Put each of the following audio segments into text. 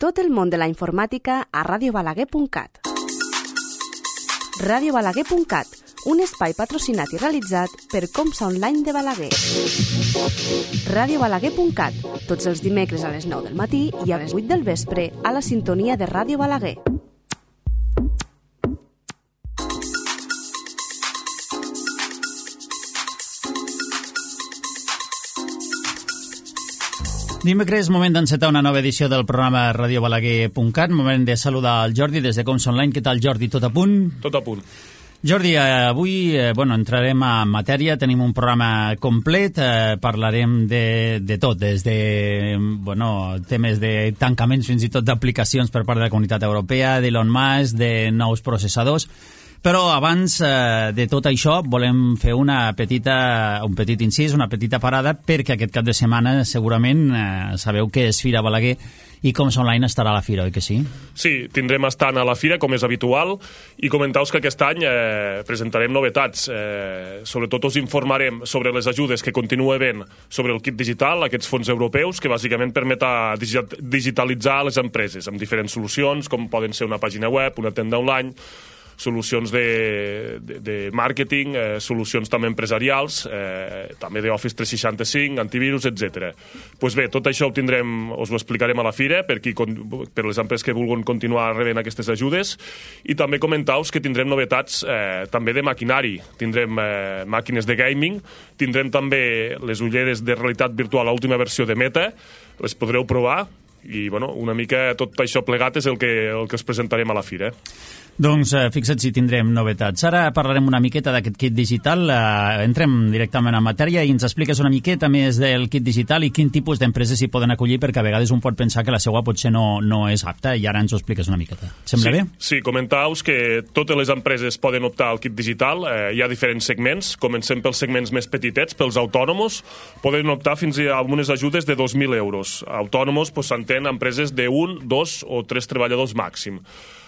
Tot el món de la informàtica a radiobalaguer.cat. Radiobalaguer.cat, un espai patrocinat i realitzat per Comsa Online de Balaguer. Radiobalaguer.cat, tots els dimecres a les 9 del matí i a les 8 del vespre a la sintonia de Ràdio Balaguer. Dimecres, moment d'encetar una nova edició del programa radiobalaguer.cat, moment de saludar el Jordi des de Comsa Online. Què tal, Jordi? Tot a punt? Tot a punt. Jordi, avui entrarem a matèria, tenim un programa complet, parlarem de tot, des de temes de tancaments fins i tot d'aplicacions per part de la Comunitat Europea, d'Elon Musk, de nous processadors. Però abans de tot això volem fer un petit incís, una petita parada, perquè aquest cap de setmana segurament sabeu que és Fira Balaguer i Comsa Online estarà a la Fira, oi que sí? Sí, tindrem estant a la Fira, com és habitual, i comentar-vos que aquest any presentarem novetats. Sobretot us informarem sobre les ajudes que continua havent sobre el kit digital, aquests fons europeus, que bàsicament permeta digitalitzar les empreses amb diferents solucions, com poden ser una pàgina web, una tenda online, solucions de màrqueting, solucions també empresarials, també d'Office 365, antivirus, etc. Doncs bé, tot això us ho explicarem a la Fira per les empreses que vulguin continuar rebent aquestes ajudes, i també comentar-vos que tindrem novetats també de maquinari. Tindrem màquines de gaming, tindrem també les ulleres de realitat virtual, l'última versió de Meta, les podreu provar, i una mica tot això plegat és el que us presentarem a la Fira. Doncs fixa't si tindrem novetats. Ara parlarem una miqueta d'aquest kit digital, entrem directament en matèria i ens expliques una miqueta més del kit digital i quin tipus d'empreses s'hi poden acollir, perquè a vegades un pot pensar que la seva potser no és apta, i ara ens ho expliques una miqueta. Sembla bé? Sí, comentar-vos que totes les empreses poden optar al kit digital. Hi ha diferents segments, comencem pels segments més petitets, pels autònomos, poden optar fins a algunes ajudes de 2.000 euros. Autònomos s'entén empreses de 1, 2 o 3 treballadors màxim.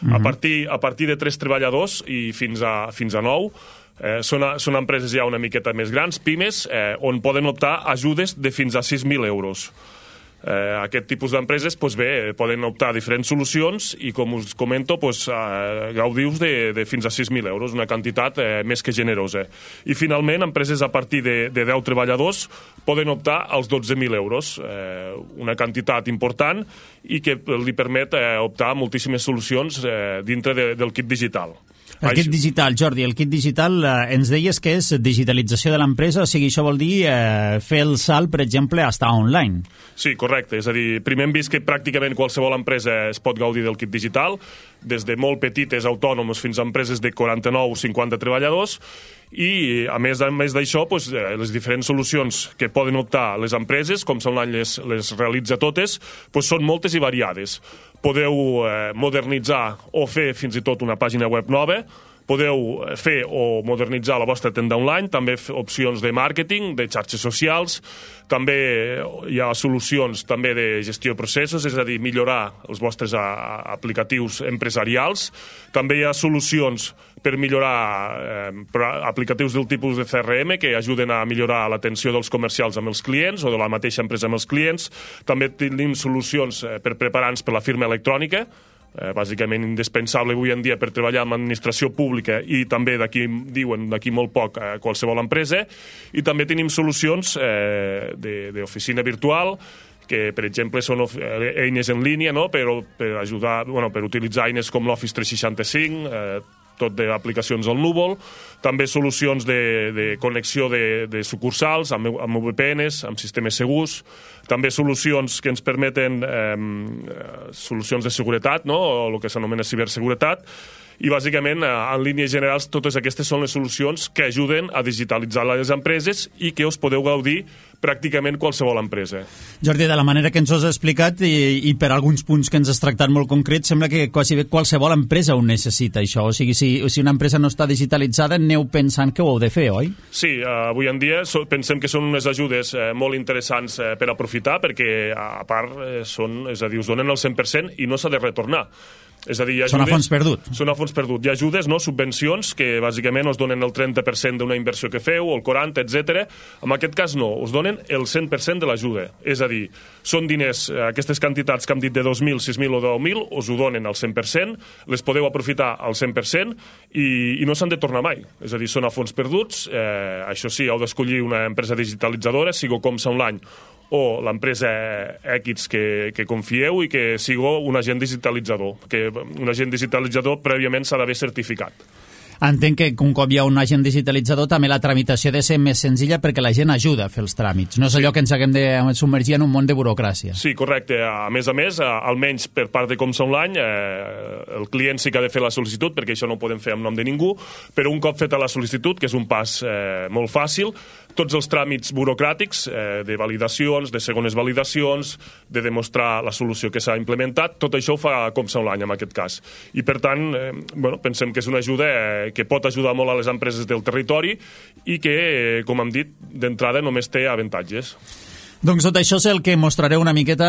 A partir de 3 treballadors i fins a 9 són empreses ja una miqueta més grans, pimes, on poden optar ajudes de fins a 6.000 euros. Aquest tipus d'empreses poden optar a diferents solucions i, com us comento, gaudiu de fins a 6.000 euros, una quantitat més que generosa. I finalment, empreses a partir de 10 treballadors poden optar als 12.000 euros, una quantitat important i que li permet optar a moltíssimes solucions dintre del kit digital. El kit digital, Jordi, el kit digital ens deies que és digitalització de l'empresa, o sigui, això vol dir fer el salt, per exemple, a estar online. Sí, correcte. És a dir, primer hem vist que pràcticament qualsevol empresa es pot gaudir del kit digital, des de molt petites autònoms fins a empreses de 49 o 50 treballadors, i a més d'això, les diferents solucions que poden optar les empreses, com Comsa Online les realitza totes, són moltes i variades. Podeu modernitzar o fer fins i tot una pàgina web nova, podeu fer o modernitzar la vostra tenda online, també opcions de màrqueting, de xarxes socials, també hi ha solucions també de gestió de processos, és a dir, millorar els vostres aplicatius empresarials, també hi ha solucions per millorar aplicatius del tipus de CRM que ajuden a millorar l'atenció dels comercials amb els clients o de la mateixa empresa amb els clients, també tenim solucions per preparar-nos per la firma electrònica, bàsicament indispensable avui en dia per treballar amb l'administració pública i també d'aquí molt poc qualsevol empresa, i també tenim solucions d'oficina virtual que, per exemple, són eines en línia, per ajudar, per utilitzar eines com l'Office 365, tot d'aplicacions al núvol, també solucions de connexió de sucursals amb VPNs, amb sistemes segurs, també solucions que ens permeten solucions de seguretat, o el que s'anomena ciberseguretat, i bàsicament, en línies generals, totes aquestes són les solucions que ajuden a digitalitzar les empreses i que us podeu gaudir pràcticament qualsevol empresa. Jordi, de la manera que ens ho has explicat i per alguns punts que ens has tractat molt concrets, sembla que quasi bé qualsevol empresa ho necessita, això. O sigui, si una empresa no està digitalitzada, aneu pensant que ho heu de fer, oi? Sí, avui en dia pensem que són unes ajudes molt interessants per aprofitar, perquè a part us donen el 100% i no s'ha de retornar. És a dir, hi ha són a fons perdut. Són a fons perdut. Hi ha ajudes, no? Subvencions, que bàsicament us donen el 30% d'una inversió que feu, o el 40%, etc. En aquest cas no, us donen el 100% de l'ajuda. És a dir, són diners, aquestes quantitats que hem dit de 2.000, 6.000 o 10.000, us ho donen al 100%, les podeu aprofitar al 100% i no s'han de tornar mai. És a dir, són a fons perduts. Això sí, heu d'escollir una empresa digitalitzadora, sigo Comsa Online o l'empresa X que confieu i que sigueu un agent digitalitzador, que un agent digitalitzador prèviament s'ha d'haver certificat. Entenc que un cop hi ha un agent digitalitzador també la tramitació ha de ser més senzilla perquè la gent ajuda a fer els tràmits. No és allò que ens haguem de submergir en un món de burocràcia. Sí, correcte. A més, almenys per part de Comsa Online, el client sí que ha de fer la sol·licitud, perquè això no ho podem fer en nom de ningú, però un cop feta la sol·licitud, que és un pas molt fàcil, tots els tràmits burocràtics de validacions, de segones validacions, de demostrar la solució que s'ha implementat, tot això ho fa Comsa Online en aquest cas. I per tant, pensem que és una ajuda que pot ajudar molt a les empreses del territori i que, com hem dit, d'entrada només té avantatges. Doncs tot això és el que mostraré una miqueta,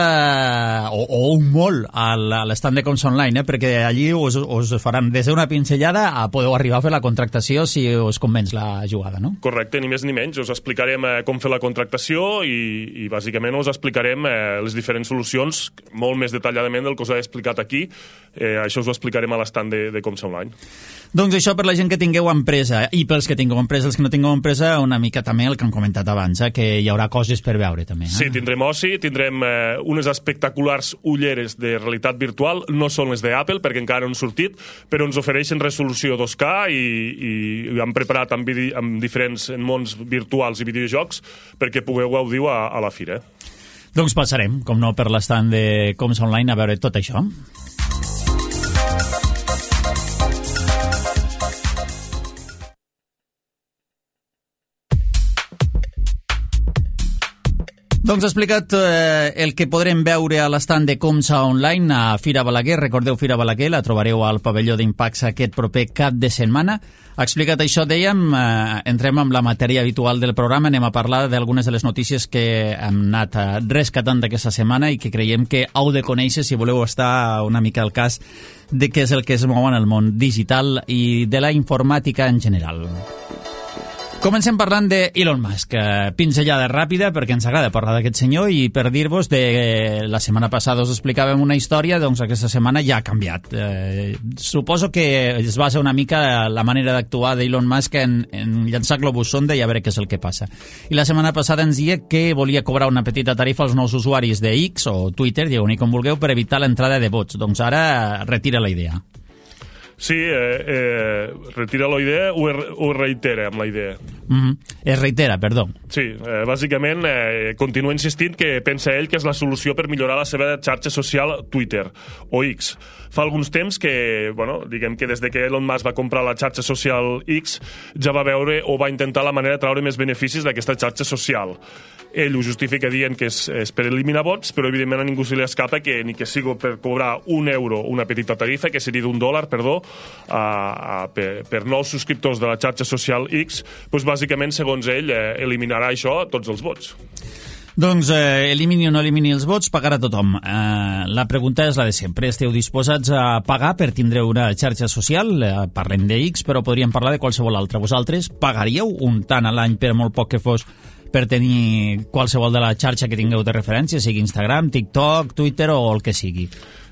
o un molt, a l'estand de Comsa Online, perquè allí us faran des d'una pinzellada a podeu arribar a fer la contractació si us convenç la jugada, no? Correcte, ni més ni menys. Us explicarem com fer la contractació i bàsicament us explicarem les diferents solucions molt més detalladament del que us he explicat aquí. Això us ho explicarem a l'estand de Comsa Online. Doncs això per la gent que tingueu empresa, i pels que tingueu empresa, els que no tingueu empresa, una mica també el que hem comentat abans, que hi haurà coses per veure també. Sí, tindrem oci, tindrem unes espectaculars ulleres de realitat virtual, no són les d'Apple perquè encara no han sortit, però ens ofereixen resolució 2K i hem preparat amb diferents mons virtuals i videojocs perquè pugueu gaudir a la fira. Doncs passarem, com no, per l'estand de Comsa Online a veure tot això. Doncs explicat el que podrem veure a l'estand de Comsa Online a Fira Balaguer. Recordeu, Fira Balaguer la trobareu al pavelló d'Impax aquest proper cap de setmana. Explicat això, dèiem, entrem amb la matèria habitual del programa. Anem a parlar d'algunes de les notícies que hem anat rescatant d'aquesta setmana i que creiem que heu de conèixer si voleu estar una mica al cas de què és el que es mou en el món digital i de la informàtica en general. Comencem parlant d'Elon Musk. Pinzellada ràpida, perquè ens agrada parlar d'aquest senyor, i per dir-vos de la setmana passada us explicàvem una història, doncs aquesta setmana ja ha canviat. Suposo que es basa una mica la manera d'actuar d'Elon Musk en llançar globus sonda i a veure què és el que passa. I la setmana passada ens deia que volia cobrar una petita tarifa als nous usuaris de X o Twitter, digueu-hi com vulgueu, per evitar l'entrada de bots. Doncs ara retira la idea. Sí, retira la idea o reitera amb la idea? Es reitera, perdó. Sí, bàsicament continua insistint que pensa ell que és la solució per millorar la seva xarxa social Twitter o X. Fa alguns temps que, diguem que des de que Elon Musk va comprar la xarxa social X ja va veure o va intentar la manera de treure més beneficis d'aquesta xarxa social. Ell ho justifica dient que és per eliminar bots, però evidentment a ningú se li escapa que ni que sigui per cobrar €1, una petita tarifa, que seria $1, perdó, per nous subscriptors de la xarxa social X, doncs bàsicament, segons ell, eliminarà això tots els bots. Doncs elimini o no elimini els vots, pagarà tothom. La pregunta és la de sempre. Esteu disposats a pagar per tindre una xarxa social? Parlem de X, però podríem parlar de qualsevol altra. Vosaltres pagaríeu un tant a l'any, per molt poc que fos, per tenir qualsevol de la xarxa que tingueu de referència, sigui Instagram, TikTok, Twitter o el que sigui?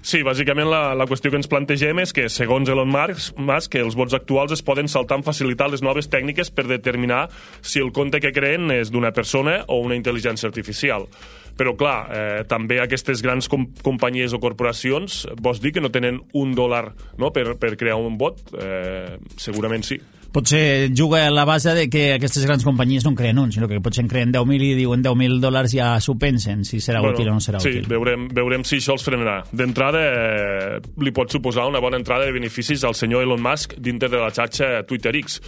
Sí, bàsicament la qüestió que ens plantegem és que, segons Elon Musk, els bots actuals es poden saltar amb facilitat les noves tècniques per determinar si el compte que creen és d'una persona o una intel·ligència artificial. Però, clar, també aquestes grans companyies o corporacions, vols dir que no tenen $1 per crear un bot? Segurament sí. Potser juga a la base de que aquestes grans companyies no en creen un, sinó que potser en creen 10.000 i diuen $10.000 ja s'ho pensen, si serà útil o no serà útil. Sí, veurem si això els frenarà. D'entrada, li pot suposar una bona entrada de beneficis al senyor Elon Musk dintre de la xarxa Twitter X.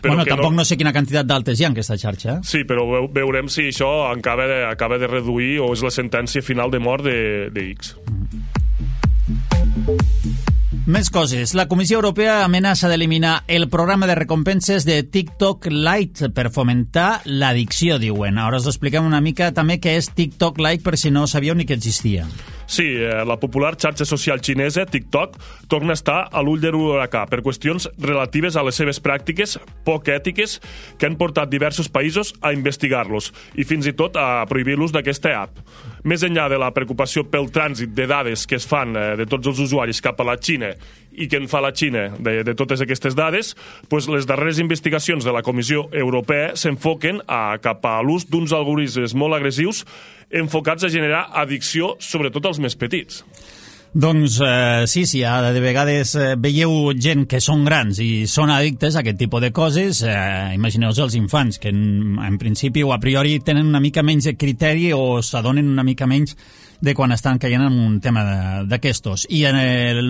Tampoc no sé quina quantitat d'altes hi ha en aquesta xarxa. Sí, però veurem si això acaba de reduir o és la sentència final de mort de X. Més coses. La Comissió Europea amenaça d'eliminar el programa de recompenses de TikTok Lite per fomentar l'addicció, diuen. Ara us expliquem una mica també què és TikTok Lite per si no sabíeu ni que existia. Sí, la popular xarxa social xinesa, TikTok, torna a estar a l'ull de l'huracà per qüestions relatives a les seves pràctiques poc ètiques que han portat diversos països a investigar-los i fins i tot a prohibir l'ús d'aquesta app. Més enllà de la preocupació pel trànsit de dades que es fan de tots els usuaris cap a la Xina i que en fa la Xina de totes aquestes dades, doncs les darreres investigacions de la Comissió Europea s'enfoquen cap a l'ús d'uns algoritmes molt agressius enfocats a generar addicció, sobretot als més petits. Doncs sí, de vegades veieu gent que són grans i són addictes a aquest tipus de coses, imagineu-vos els infants, que en principi o a priori tenen una mica menys de criteri o s'adonen una mica menys de quan estan caient en un tema d'aquestos. I en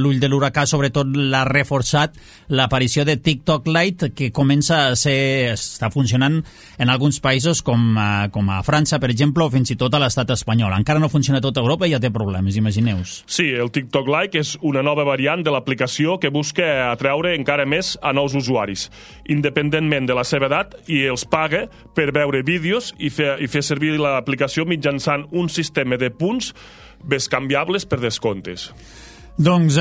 l'ull de l'huracà, sobretot, l'ha reforçat l'aparició de TikTok Lite, que comença a està funcionant en alguns països com a França, per exemple, o fins i tot a l'estat espanyol. Encara no funciona a tota Europa i ja té problemes, imagineu-vos. Sí, el TikTok Lite és una nova variant de l'aplicació que busca atreure encara més a nous usuaris, independentment de la seva edat, i els paga per veure vídeos i fer servir l'aplicació mitjançant un sistema de punts bescanviables per descomptes. Doncs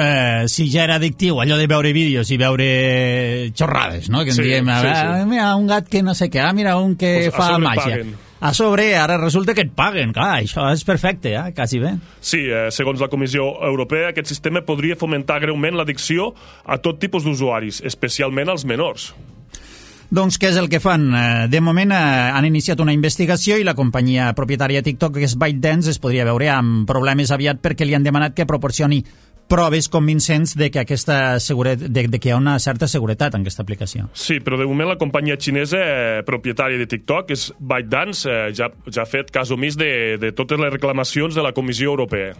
si ja era addictiu allò de veure vídeos i veure xorrades, no? Que en diem, mira, un gat que no sé què, mira un que fa màgia. A sobre, ara resulta que et paguen. Clar, això és perfecte, quasi bé. Sí, segons la Comissió Europea, aquest sistema podria fomentar greument l'addicció a tot tipus d'usuaris, especialment als menors. Doncs què és el que fan? De moment han iniciat una investigació i la companyia propietària de TikTok, que és ByteDance, es podria veure amb problemes aviat perquè li han demanat que proporcioni proves convincents de que hi ha una certa seguretat en aquesta aplicació. Sí, però de moment la companyia xinesa propietària de TikTok, és ByteDance, ja ha fet cas omís de totes les reclamacions de la Comissió Europea.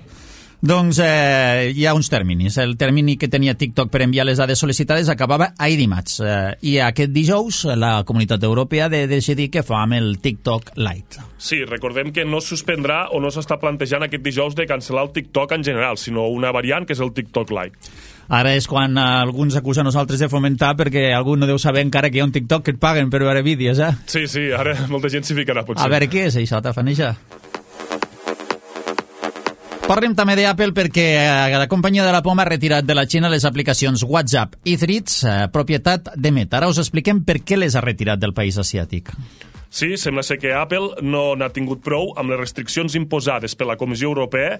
Doncs hi ha uns terminis. El termini que tenia TikTok per enviar les dades sol·licitades acabava ahir dimarts. I aquest dijous la Comunitat Europea ha de decidir què fa amb el TikTok Lite. Sí, recordem que no es suspendrà o no s'està plantejant aquest dijous de cancel·lar el TikTok en general, sinó una variant que és el TikTok Lite. Ara és quan alguns acusen nosaltres de fomentar perquè algú no deu saber encara que hi ha un TikTok que et paguen per veure vídeos, Sí, ara molta gent s'hi ficarà, potser. A veure què és això, Tafaneja? Parlem també d'Apple perquè la companyia de la Poma ha retirat de la Xina les aplicacions WhatsApp i Threads, propietat de Meta. Ara us expliquem per què les ha retirat del país asiàtic. Sí, sembla ser que Apple no n'ha tingut prou amb les restriccions imposades per la Comissió Europea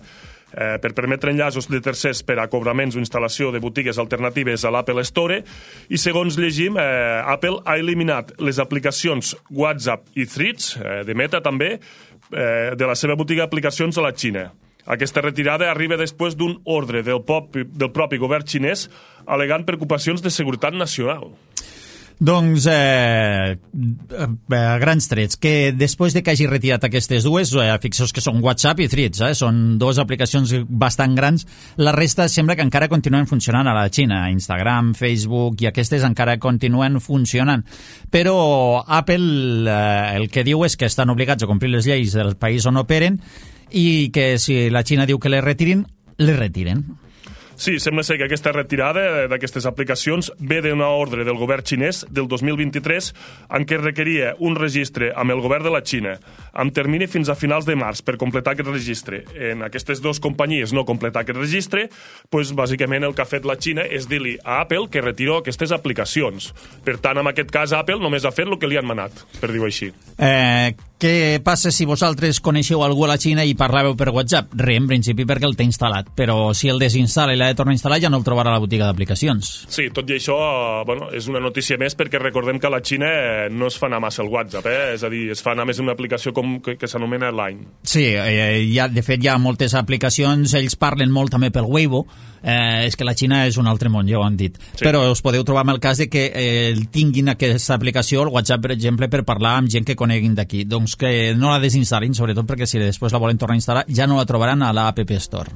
per permetre enllaços de tercers per a cobraments o instal·lació de botigues alternatives a l'Apple Store, i segons llegim, Apple ha eliminat les aplicacions WhatsApp i Threads, de Meta també, de la seva botiga d'aplicacions a la Xina. Aquesta retirada arriba després d'un ordre del propi govern xinès alegant preocupacions de seguretat nacional. Doncs, a grans trets, que després de que hagi retirat aquestes dues, fixeu que són WhatsApp i Threads, són dues aplicacions bastant grans, la resta sembla que encara continuen funcionant a la Xina. Instagram, Facebook i aquestes encara continuen funcionant. Però Apple el que diu és que estan obligats a complir les lleis del país on operen i que si la Xina diu que les retirin, les retiren. Sí, sembla ser que aquesta retirada d'aquestes aplicacions ve d'una ordre del govern xinès del 2023 en què requeria un registre amb el govern de la Xina amb termini fins a finals de març per completar aquest registre. En aquestes dues companyies no completar aquest registre, doncs bàsicament el que ha fet la Xina és dir-li a Apple que retiro aquestes aplicacions. Per tant, en aquest cas, Apple només ha fet el que li han manat, per dir-ho així. Què passa si vosaltres coneixeu algú a la Xina i parlàveu per WhatsApp? Res, en principi, perquè el té instal·lat, però si el desinstal·la i l'ha de tornar a instal·lar ja no el trobarà a la botiga d'aplicacions. Sí, tot i això, és una notícia més perquè recordem que a la Xina no es fa anar massa el WhatsApp, és a dir, es fa anar més una aplicació que s'anomena Line. Sí, de fet hi ha moltes aplicacions, ells parlen molt també pel Weibo, és que la Xina és un altre món, ja ho han dit. Sí. Però us podeu trobar amb el cas de que tinguin aquesta aplicació, el WhatsApp, per exemple, per parlar amb gent que coneguin d'aquí. Doncs que no la desinstal·lin, sobretot perquè si després la volen tornar a instal·lar ja no la trobaran a la App Store.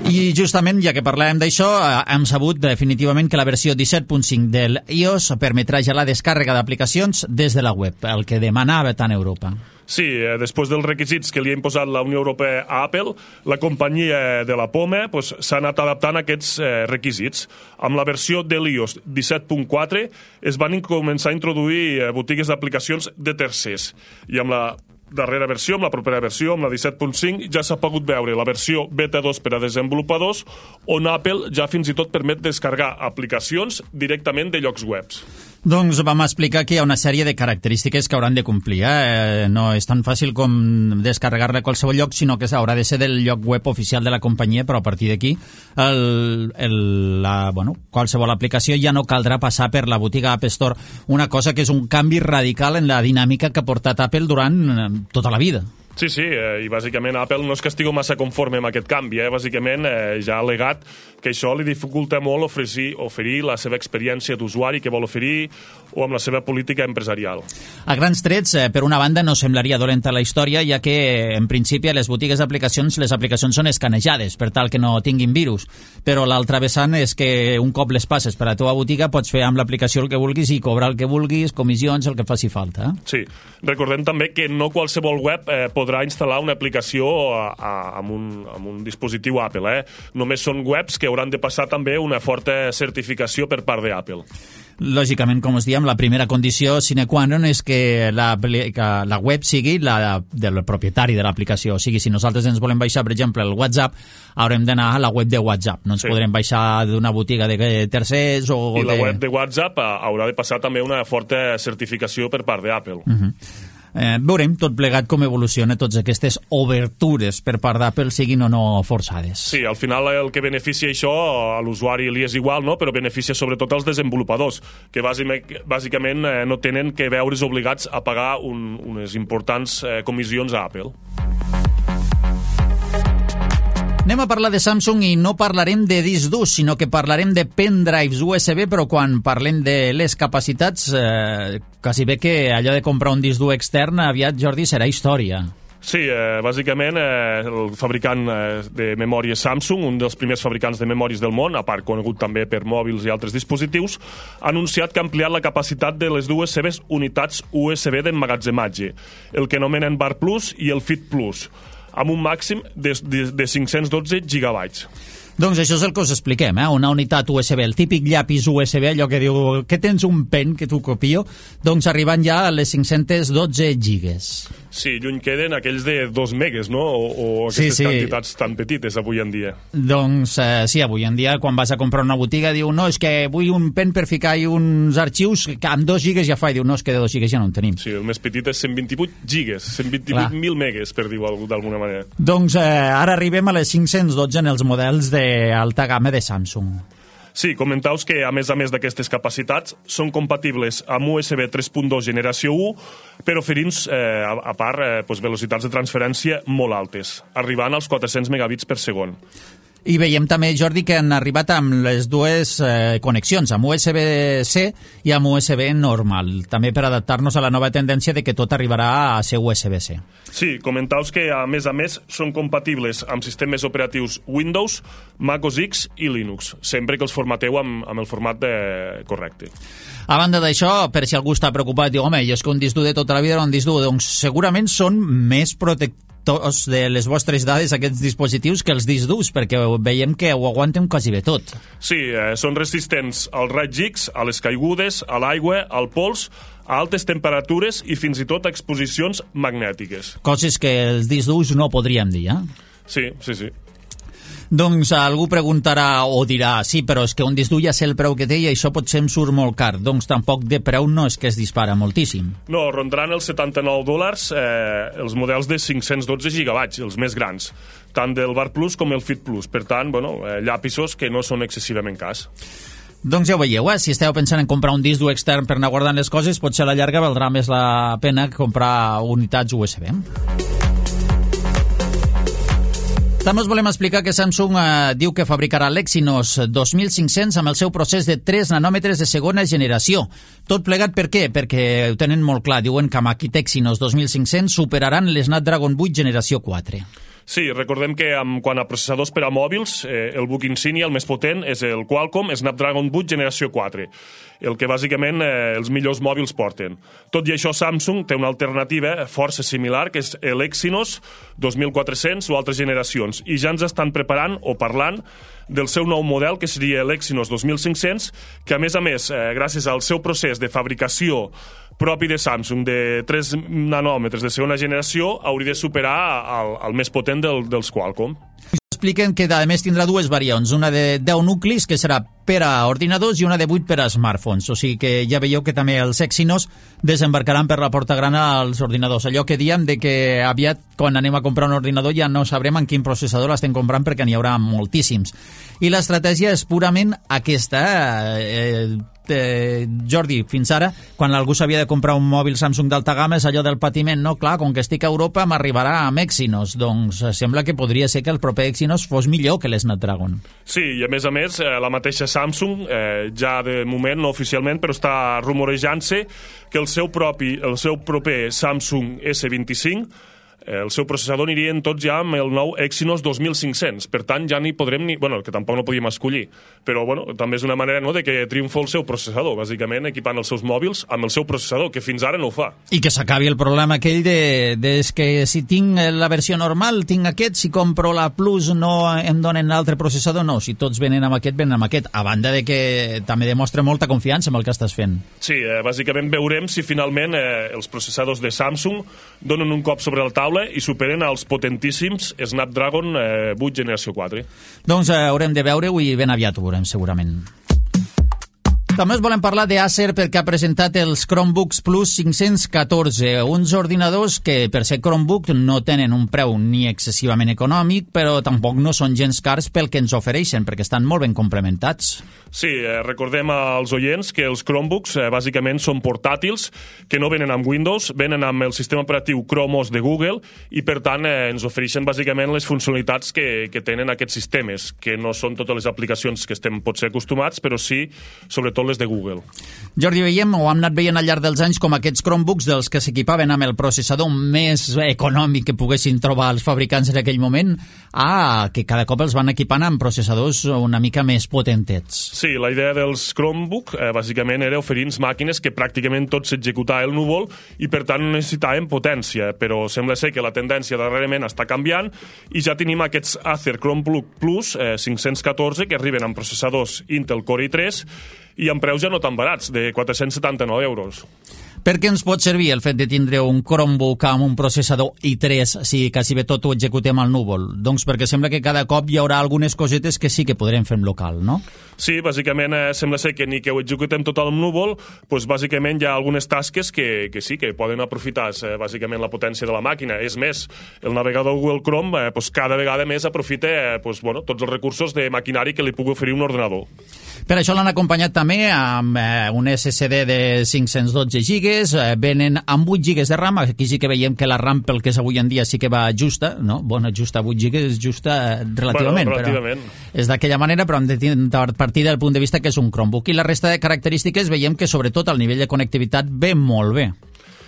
I justament, ja que parlàvem d'això, hem sabut definitivament que la versió 17.5 del iOS permetrà ja la descàrrega d'aplicacions des de la web, el que demanava tant Europa. Sí, després dels requisits que li ha imposat la Unió Europea a Apple, la companyia de la Poma s'ha anat adaptant a aquests requisits. Amb la versió de l'iOS 17.4 es van començar a introduir botigues d'aplicacions de tercers, i amb la darrera versió, amb la propera versió, amb la 17.5, ja s'ha pogut veure la versió beta 2 per a desenvolupadors, on Apple ja fins i tot permet descarregar aplicacions directament de llocs webs. Doncs vam explicar que hi ha una sèrie de característiques que hauran de complir. No és tan fàcil com descarregar-la a qualsevol lloc, sinó que haurà de ser del lloc web oficial de la companyia, però a partir d'aquí qualsevol aplicació ja no caldrà passar per la botiga App Store, una cosa que és un canvi radical en la dinàmica que ha portat Apple durant tota la vida. Sí, i bàsicament Apple no és que estigui massa conforme amb aquest canvi, bàsicament ja ha al·legat que això li dificulta molt oferir la seva experiència d'usuari que vol oferir o amb la seva política empresarial. A grans trets, per una banda, no semblaria dolenta la història, ja que, en principi, a les botigues d'aplicacions, les aplicacions són escanejades, per tal que no tinguin virus. Però l'altra vessant és que un cop les passes per a la teva botiga pots fer amb l'aplicació el que vulguis i cobrar el que vulguis, comissions, el que faci falta. Sí, recordem també que no qualsevol web podrà instal·lar una aplicació amb un dispositiu Apple. Només són webs que hauran de passar també una forta certificació per part d'Apple. Lògicament, com us diem, la primera condició sine qua non és que la web sigui la del propietari de l'aplicació. O sigui, si nosaltres ens volem baixar, per exemple, el WhatsApp, haurem d'anar a la web de WhatsApp. No ens podrem baixar d'una botiga de tercers o I la web de WhatsApp haurà de passar també una forta certificació per part d'Apple. Veurem tot plegat com evoluciona tots aquestes obertures per part d'Apple, siguin o no forçades. Sí, al final el que beneficia això a l'usuari li és igual, no? Però beneficia sobretot als desenvolupadors, que bàsicament no tenen que veure's obligats a pagar unes importants comissions a Apple. Anem a parlar de Samsung i no parlarem de disc durs, sinó que parlarem de pendrives USB, però quan parlem de les capacitats, quasi bé que allò de comprar un disc dur extern aviat, Jordi, serà història. Sí, bàsicament el fabricant de memòries Samsung, un dels primers fabricants de memòries del món, a part conegut també per mòbils i altres dispositius, ha anunciat que ha ampliat la capacitat de les dues seves unitats USB d'emmagatzematge, el que anomenen Bar Plus i el Fit Plus, amb un màxim de 512 gigabytes. Doncs això és el que us expliquem, una unitat USB, el típic llapis USB, allò que diu que tens un pen que t'ho copio, doncs arribant ja a les 512 gigas. Sí, lluny queden aquells de 2 megas, no? O aquestes quantitats tan petites avui en dia. Doncs sí, avui en dia quan vas a comprar una botiga diu no, és que vull un pen per ficar-hi uns arxius que amb 2 gigas ja fa, i diu no, és que de 2 gigas ja no en tenim. Sí, el més petit és 128 gigas, 128.000 megas, per dir-ho d'alguna manera. Doncs ara arribem a les 512 en els models d'alta gamma de Samsung. Sí, comentau-vos que, a més d'aquestes capacitats, són compatibles amb USB 3.2 generació 1, però oferint, a part, velocitats de transferència molt altes, arribant als 400 megabits per segon. I veiem també, Jordi, que han arribat amb les dues connexions, amb USB-C i amb USB normal, també per adaptar-nos a la nova tendència de que tot arribarà a ser USB-C. Sí, comentaus que, a més, són compatibles amb sistemes operatius Windows, Mac OS X i Linux, sempre que els formateu amb el format correcte. A banda d'això, per si algú està preocupat, diu, home, és que un disc dur de tota la vida era un disc dur, doncs segurament són més protectors de les vostres dades, aquests dispositius, que els discs durs, perquè veiem que ho aguanten quasi bé tot. Sí, són resistents als raigs X, a les caigudes, a l'aigua, al pols, a altes temperatures i fins i tot a exposicions magnètiques. Coses que els discs durs no podríem dir, Sí. Doncs algú preguntarà o dirà, sí, però és que un disc dur ja sé el preu que té i això potser em surt molt car. Doncs tampoc de preu no és que es dispara moltíssim. No, rondaran els $79 els models de 512 gigabytes, els més grans, tant del Bar Plus com el Fit Plus. Per tant, llapisos que no són excessivament cars. Doncs ja ho veieu, si esteu pensant en comprar un disc dur extern per anar guardant les coses, potser a la llarga valdrà més la pena comprar unitats USB. També us volem explicar que Samsung diu que fabricarà l'Exynos 2500 amb el seu procés de 3 nanòmetres de segona generació. Tot plegat per què? Perquè ho tenen molt clar. Diuen que amb aquest Exynos 2500 superaran les Snapdragon 8 generació 4. Sí, recordem que quant a processadors per a mòbils, el buc insignia, el més potent, és el Qualcomm Snapdragon 8 generació 4, el que bàsicament els millors mòbils porten. Tot i això, Samsung té una alternativa força similar, que és l'Exynos 2400 o altres generacions, i ja ens estan preparant o parlant del seu nou model, que seria l'Exynos 2500, que a més, gràcies al seu procés de fabricació propi de Samsung de 3 nanòmetres de segona generació, hauria de superar el més potent dels Qualcomm. Expliquen que, a més, tindrà dues variants, una de 10 nuclis, que serà per a ordinadors, i una de 8 per a smartphones. O sigui que ja veieu que també els Exynos desembarcaran per la porta gran als ordinadors. Allò que diem de que aviat, quan anem a comprar un ordinador, ja no sabrem en quin processador l'estem comprant perquè n'hi haurà moltíssims. I l'estratègia és purament aquesta. Jordi, fins ara, quan algú s'havia de comprar un mòbil Samsung d'alta gamma, és allò del patiment, no? Clar, com que estic a Europa m'arribarà amb Exynos, doncs sembla que podria ser que el proper Exynos fos millor que l'Snapdragon. Sí, i a més, la mateixa Samsung, ja de moment, no oficialment, però està rumorejant-se que el seu proper Samsung S25, el seu processador anirien tots ja amb el nou Exynos 2500. Per tant, ja n'hi podrem que tampoc no podíem escollir. Però, també és una manera de que triomfa el seu processador, bàsicament equipant els seus mòbils amb el seu processador, que fins ara no ho fa. I que s'acabi el problema aquell de que si tinc la versió normal, tinc aquest, si compro la Plus no em donen l'altre processador, no. Si tots venen amb aquest, venen amb aquest. A banda de que també demostra molta confiança en el que estàs fent. Sí, bàsicament veurem si finalment els processadors de Samsung donen un cop sobre la taula i superen els potentíssims Snapdragon 8 generació 4. Doncs haurem de veure-ho i ben aviat ho veurem, segurament. També us volem parlar d'Acer perquè ha presentat els Chromebooks Plus 514, uns ordinadors que per ser Chromebook no tenen un preu ni excessivament econòmic, però tampoc no són gens cars pel que ens ofereixen, perquè estan molt ben complementats. Sí, recordem als oients que els Chromebooks bàsicament són portàtils, que no venen amb Windows, venen amb el sistema operatiu Chrome OS de Google i per tant ens ofereixen bàsicament les funcionalitats que tenen aquests sistemes, que no són totes les aplicacions que estem potser acostumats, però sí, sobretot les de Google. Jordi, veiem o hem anat veient al llarg dels anys com aquests Chromebooks dels que s'equipaven amb el processador més econòmic que poguessin trobar els fabricants en aquell moment, que cada cop els van equipant amb processadors una mica més potentets. Sí, la idea dels Chromebook bàsicament era oferir màquines que pràcticament tot s'executava al núvol i per tant no necessitaven potència, però sembla ser que la tendència darrerament està canviant i ja tenim aquests Acer Chromebook Plus 514 que arriben amb processadors Intel Core i3 i amb preus ja no tan barats, de 479 euros. Per què ens pot servir el fet de tindre un Chromebook amb un processador i3 si quasi bé tot ho executem al núvol? Doncs perquè sembla que cada cop hi haurà algunes cosetes que sí que podrem fer en local, no? Sí, bàsicament sembla ser que ni que ho executem tot al núvol, doncs bàsicament hi ha algunes tasques que sí, que poden aprofitar bàsicament la potència de la màquina. És més, el navegador Google Chrome cada vegada més aprofita tots els recursos de maquinari que li pugui oferir un ordenador. Per això l'han acompanyat també amb un SSD de 512 gigas, venen amb 8 gigas de RAM, aquí sí que veiem que la RAM pel que és avui en dia sí que va justa, no? Bona, justa, 8 gigas és justa relativament. Relativament. Però és d'aquella manera, però hem de partir del punt de vista que és un Chromebook. I la resta de característiques veiem que sobretot el nivell de connectivitat ve molt bé.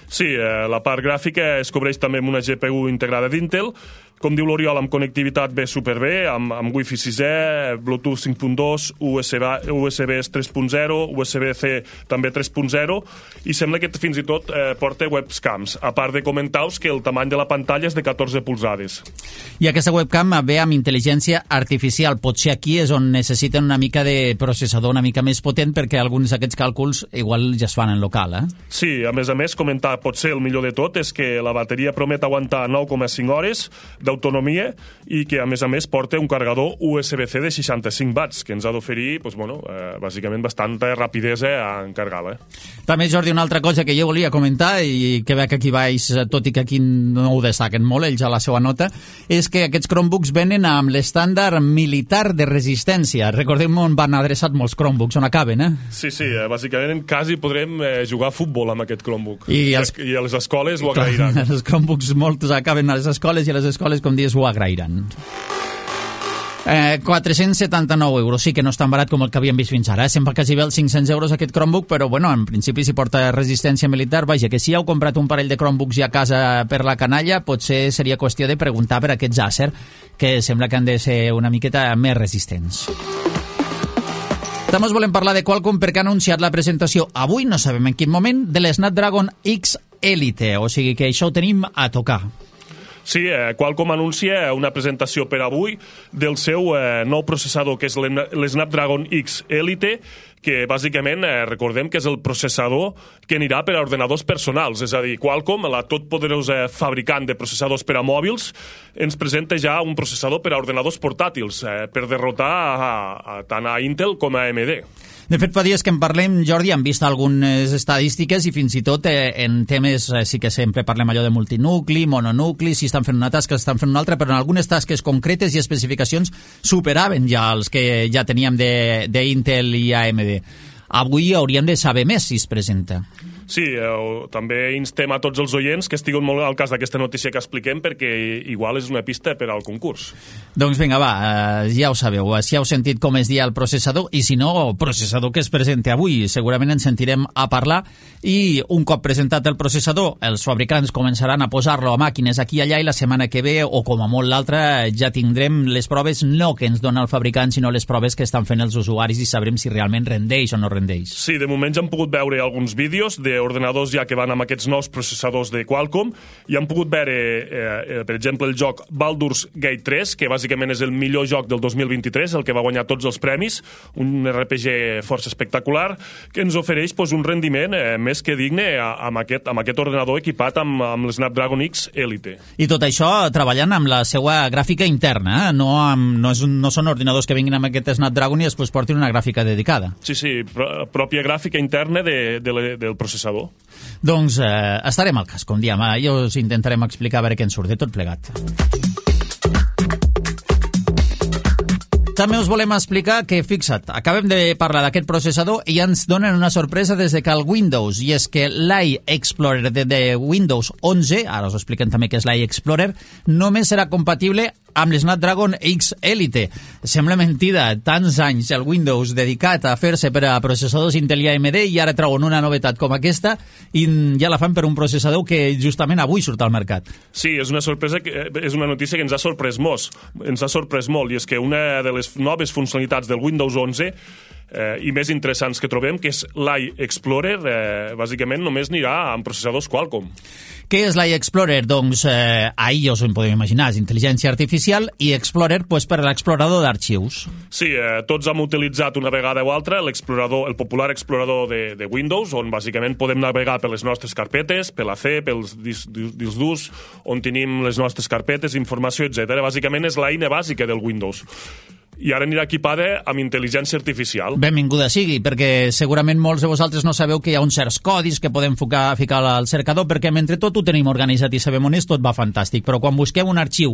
Sí, la part gràfica es cobreix també amb una GPU integrada d'Intel. Com diu l'Oriol, amb connectivitat ve superbé, amb Wi-Fi 6E, Bluetooth 5.2, USB 3.0, USB-C també 3.0, i sembla que fins i tot porta webcams, a part de comentar-vos que el tamany de la pantalla és de 14 polzades. I aquesta webcam ve amb intel·ligència artificial. Potser aquí és on necessiten una mica de processador una mica més potent perquè alguns d'aquests càlculs igual ja es fan en local, eh? Sí, a més, comentar potser el millor de tot és que la bateria promet aguantar 9,5 hores d'autonomia i que, a més, porta un carregador USB-C de 65 watts, que ens ha d'oferir, bàsicament, bastanta rapidesa en carregar-la. També, Jordi, una altra cosa que jo volia comentar i que veig aquí baix, tot i que aquí no ho destaquen molt, ells a la seva nota, és que aquests Chromebooks venen amb l'estàndard militar de resistència. Recordem on van adreçat molts Chromebooks, on acaben, eh? Sí, bàsicament quasi podrem jugar a futbol amb aquest Chromebook. I a les escoles ho agrairan. Els Chromebooks molts acaben a les escoles i a les escoles, com dius, ho agrairan. 479 euros, sí que no és tan barat com el que havíem vist fins ara, sempre quasi bé els 500 euros aquest Chromebook, però en principi si porta resistència militar, vaja, que si heu comprat un parell de Chromebooks ja a casa per la canalla, potser seria qüestió de preguntar per aquests Acer, que sembla que han de ser una miqueta més resistents. També us volem parlar de Qualcomm perquè ha anunciat la presentació avui, no sabem en quin moment, de l'Snapdragon X Elite, o sigui que això ho tenim a tocar. Sí, Qualcomm anuncia una presentació per avui del seu nou processador, que és l'Snapdragon X Elite, que bàsicament recordem que és el processador que anirà per a ordenadors personals. És a dir, Qualcomm, la totpoderosa fabricant de processadors per a mòbils, ens presenta ja un processador per a ordenadors portàtils, per derrotar tant a Intel com a AMD. De fet, fa dies que en parlem, Jordi, hem vist algunes estadístiques i fins i tot en temes, sí que sempre parlem allò de multinucli, mononucli, si estan fent una tasca, estan fent una altra, però en algunes tasques concretes i especificacions superaven ja els que ja teníem d'Intel i AMD. Avui hauríem de saber més si es presenta. Sí, també instem a tots els oients que estiguin molt al cas d'aquesta notícia que expliquem, perquè igual és una pista per al concurs. Doncs vinga, va, ja ho sabeu, si heu sentit com es dia el processador, i si no, processador que es presenta avui, segurament ens sentirem a parlar, i un cop presentat el processador, els fabricants començaran a posar-lo a màquines aquí i allà, i la setmana que ve, o com a molt l'altra, ja tindrem les proves no que ens dona el fabricant, sinó les proves que estan fent els usuaris i sabrem si realment rendeix o no rendeix. Sí, de moment ja hem pogut veure alguns vídeos d'ordenadors ja que van amb aquests nous processadors de Qualcomm, i han pogut veure, per exemple, el joc Baldur's Gate 3, que bàsicament és el millor joc del 2023, el que va guanyar tots els premis, un RPG força espectacular, que ens ofereix un rendiment més que digne amb aquest ordenador equipat amb l'Snapdragon X Elite. I tot això treballant amb la seva gràfica interna, no són ordinadors que vinguin amb aquest Snapdragon i després portin una gràfica dedicada. Sí, pròpia gràfica interna del processador. Doncs estarem al cas, com diem. I us intentarem explicar a veure què ens surt de tot plegat. També us volem explicar que, fixa't, acabem de parlar d'aquest processador i ens donen una sorpresa des de cal Windows, i és que l'iExplorer de Windows 11, ara us expliquen també què és l'iExplorer, només serà compatible amb l'Snapdragon X Elite. Sembla mentida, tants anys el Windows dedicat a fer-se per a processadors Intel i AMD, i ara treuen una novetat com aquesta i ja la fan per un processador que justament avui surt al mercat. Sí, és una sorpresa, és una notícia que ens ha sorprès molt, i és que una de les noves funcionalitats del Windows 11 i més interessants que trobem, que és l'iExplorer, bàsicament només anirà amb processadors Qualcomm. Què és l'iExplorer? Doncs ahir us ho podem imaginar, és intel·ligència artificial, i Explorer per a l'explorador d'arxius. Sí, tots hem utilitzat una vegada o altra el popular explorador de Windows, on bàsicament podem navegar per les nostres carpetes, per la C, pels discs durs, on tenim les nostres carpetes, informació, etc. Bàsicament és l'eina bàsica del Windows. I ara anirà equipada amb intel·ligència artificial. Benvinguda sigui, perquè segurament molts de vosaltres no sabeu que hi ha uns certs codis que podem ficar al cercador, perquè mentre tot ho tenim organitzat i sabem on és, tot va fantàstic, però quan busquem un arxiu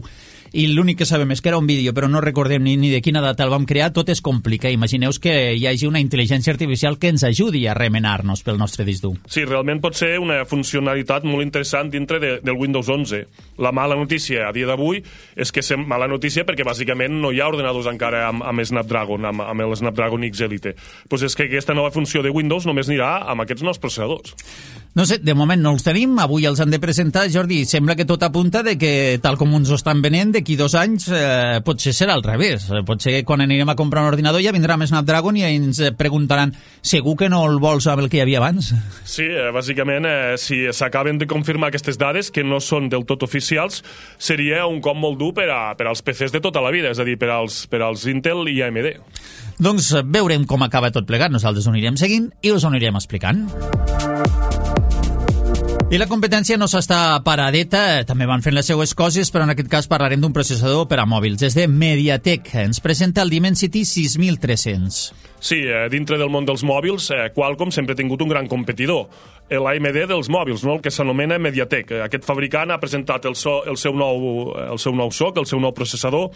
i l'únic que sabem és que era un vídeo, però no recordem ni de quina data el vam crear, tot es complica. Imagineu que hi hagi una intel·ligència artificial que ens ajudi a remenar-nos pel nostre disc dur. Sí, realment pot ser una funcionalitat molt interessant dintre del Windows 11. La mala notícia a dia d'avui és que és mala notícia perquè bàsicament no hi ha ordenadors encara amb Snapdragon, amb el Snapdragon X Elite. Doncs és que aquesta nova funció de Windows només anirà amb aquests nous processadors. No sé, de moment no els tenim, avui els han de presentar, Jordi, sembla que tot apunta de que, tal com ens ho estan venent, d'aquí 2 anys potser serà al revés. Potser quan anirem a comprar un ordinador ja vindrà amb Snapdragon i ens preguntaran, segur que no el vols amb el que hi havia abans? Sí, bàsicament, si s'acaben de confirmar aquestes dades, que no són del tot oficials, seria un cop molt dur per als PCs de tota la vida, és a dir, per als Intel i AMD. Doncs veurem com acaba tot plegat, nosaltres ho anirem seguint i us ho anirem explicant. I la competència no s'està paradeta, també van fent les seues coses, però en aquest cas parlarem d'un processador per a mòbils. Des de MediaTek ens presenta el Dimensity 6300. Sí, dintre del món dels mòbils, Qualcomm sempre ha tingut un gran competidor, l'AMD dels mòbils, no? El que s'anomena MediaTek. Aquest fabricant ha presentat el seu nou SoC, el seu nou processador,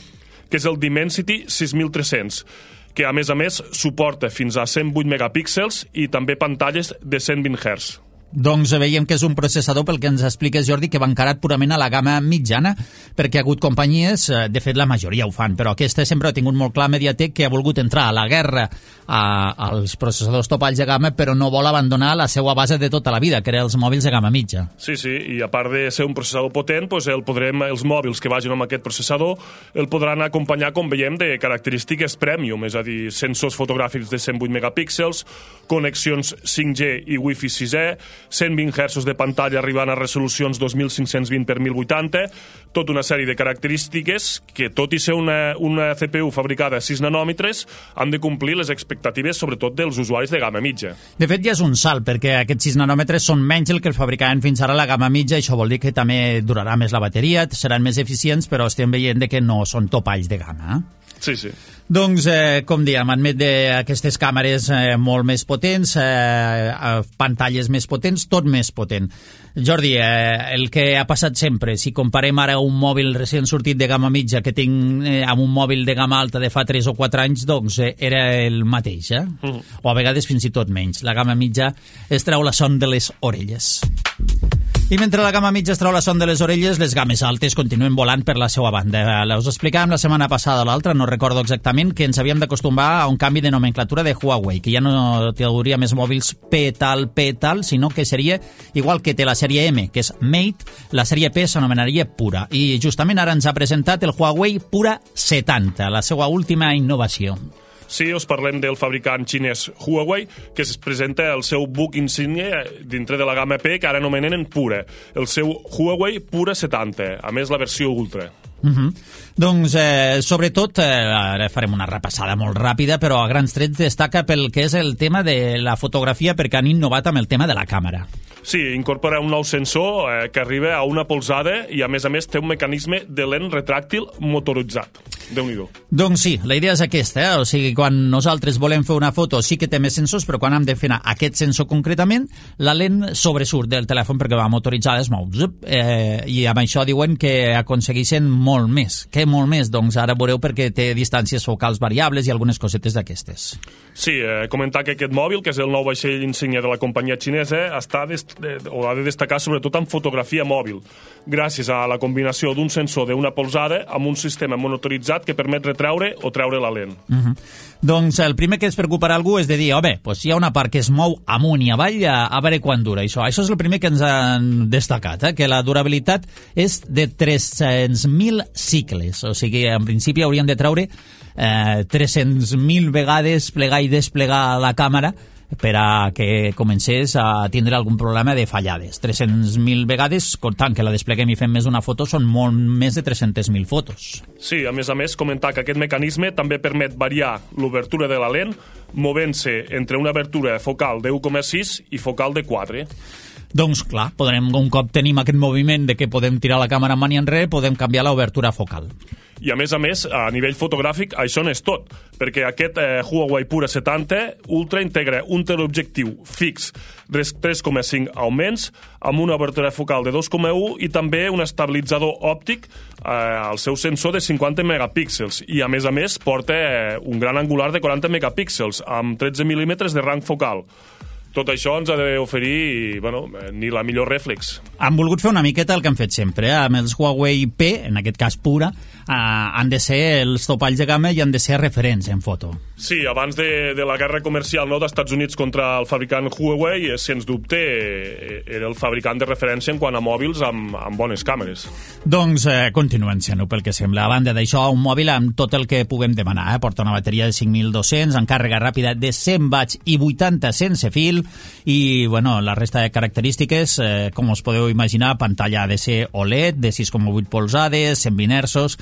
que és el Dimensity 6300, que a més suporta fins a 108 megapíxels i també pantalles de 120 Hz. Doncs veiem que és un processador, pel que ens expliques, Jordi, que va encarat purament a la gamma mitjana, perquè ha hagut companyies, de fet la majoria ho fan, però aquesta sempre ha tingut molt clar MediaTek, que ha volgut entrar a la guerra als processadors topalls de gamma, però no vol abandonar la seva base de tota la vida, que eren els mòbils de gamma mitja. Sí, i a part de ser un processador potent, els mòbils que vagin amb aquest processador el podran acompanyar, com veiem, de característiques premium, és a dir, sensors fotogràfics de 108 megapíxels, connexions 5G i Wi-Fi 6E, 120 Hz de pantalla arribant a resolucions 2520 per 1080, tota una sèrie de característiques que, tot i ser una CPU fabricada a 6 nanòmetres, han de complir les expectatives, sobretot dels usuaris de gamma mitja. De fet, ja és un salt, perquè aquests 6 nanòmetres són menys el que el fabricaven fins ara la gamma mitja, això vol dir que també durarà més la bateria, seran més eficients, però estem veient que no són topalls de gamma. Sí, sí. Doncs, com dèiem, admet d'aquestes càmeres molt més potents, pantalles més potents, tot més potent. Jordi, el que ha passat sempre, si comparem ara un mòbil recent sortit de gamma mitja que tinc amb un mòbil de gamma alta de fa 3 o 4 anys, doncs era el mateix, o a vegades fins i tot menys. La gamma mitja es treu la son de les orelles. I mentre la gamma mitja es treu la son de les orelles, les games altes continuen volant per la seva banda. Us explicàvem la setmana passada o l'altra, no recordo exactament, que ens havíem d'acostumar a un canvi de nomenclatura de Huawei, que ja no hauria més mòbils P tal, sinó que seria igual que té la sèrie M, que és Mate, la sèrie P s'anomenaria Pura. I justament ara ens ha presentat el Huawei Pura 70, la seva última innovació. Sí, us parlem del fabricant xinès Huawei, que es presenta el seu buc insígnia dintre de la gamma P, que ara anomenen Pura, el seu Huawei Pura 70, a més la versió Ultra. Doncs, sobretot, ara farem una repassada molt ràpida, però a grans trets destaca pel que és el tema de la fotografia, perquè han innovat amb el tema de la càmera. Sí, incorpora un nou sensor que arriba a una polzada i, a més, té un mecanisme de lent retràctil motoritzat. Déu-n'hi-do. Doncs sí, la idea és aquesta, o sigui, quan nosaltres volem fer una foto sí que té més sensors, però quan hem de fer aquest sensor concretament, la lent sobresurt del telèfon perquè va motoritzada, es mou. I amb això diuen que aconsegueixen molt més. Què molt més? Doncs ara veureu perquè té distàncies focals variables i algunes cosetes d'aquestes. Sí, comentar que aquest mòbil, que és el nou vaixell insígnia de la companyia xinesa, ha de destacar sobretot en fotografia mòbil, gràcies a la combinació d'un sensor d'una polzada amb un sistema monitoritzat que permet retreure o treure la lent. Doncs el primer que es preocuparà algú és de dir, hi ha una part que es mou amunt i avall, a veure quan dura això. Això és el primer que ens han destacat, que la durabilitat és de 300.000 cicles, o sigui, en principi hauríem de treure 300.000 vegades plegar i desplegar la càmera per a que comencés a tindre algun problema de fallades. 300.000 vegades, comptant que la despleguem i fem més una foto, són molt més de 300.000 fotos. Sí, a més, comentar que aquest mecanisme també permet variar l'obertura de la lent, movent-se entre una obertura focal de 1,6 i focal de 4. Doncs clar, un cop tenim aquest moviment de que podem tirar la càmera en enrere, podem canviar l'obertura focal. I a més, a nivell fotogràfic, això no és tot, perquè aquest Huawei Pura 70 Ultra integra un teleobjectiu fix de 3,5 augments amb una obertura focal de 2,1 i també un estabilitzador òptic al seu sensor de 50 megapíxels i, a més, porta un gran angular de 40 megapíxels amb 13 mil·límetres de rang focal. Tot això ens ha d'oferir, ni la millor rèflex. Han volgut fer una miqueta el que han fet sempre, amb els Huawei P, en aquest cas Pura, han de ser els topalls de gamma i han de ser referents en foto. Sí, abans de la guerra comercial dels Estats Units contra el fabricant Huawei, sens dubte era el fabricant de referència en quant a mòbils amb bones càmeres. Doncs continuen sent-ho, pel que sembla. A banda d'això, un mòbil amb tot el que puguem demanar. Porta una bateria de 5.200, amb càrrega ràpida de 100 watts i 80 sense fil, i la resta de característiques, com us podeu imaginar, pantalla ha de ser OLED de 6,8 polzades, 120 Hz,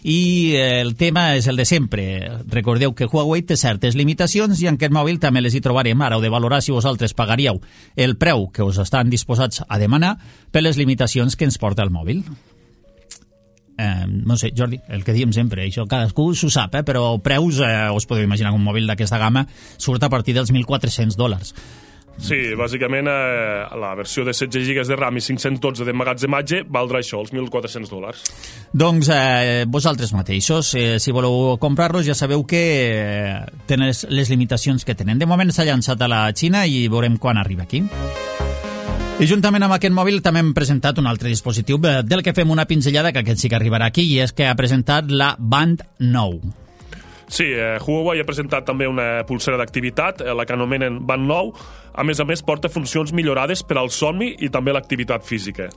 i el tema és el de sempre. Recordeu que Huawei té certes limitacions i en aquest mòbil també les hi trobarem. Ara heu de valorar si vosaltres pagaríeu el preu que us estan disposats a demanar per les limitacions que ens porta el mòbil. No sé, Jordi, el que diem sempre, això cadascú s'ho sap, però preus, us podeu imaginar que un mòbil d'aquesta gamma surt a partir dels $1.400. Sí, bàsicament la versió de 16 GB de RAM i 512 d'emmagatzematge valdrà això, els $1.400. Doncs vosaltres mateixos, si voleu comprar-los, ja sabeu que tenen les limitacions que tenen. De moment s'ha llançat a la Xina i veurem quan arriba aquí. I juntament amb aquest mòbil també hem presentat un altre dispositiu del que fem una pinzellada, que aquest sí que arribarà aquí, i és que ha presentat la Band 9. Sí, Huawei ha presentat també una pulsera d'activitat, la que anomenen Band 9. A més, porta funcions millorades per al somni i també l'activitat física.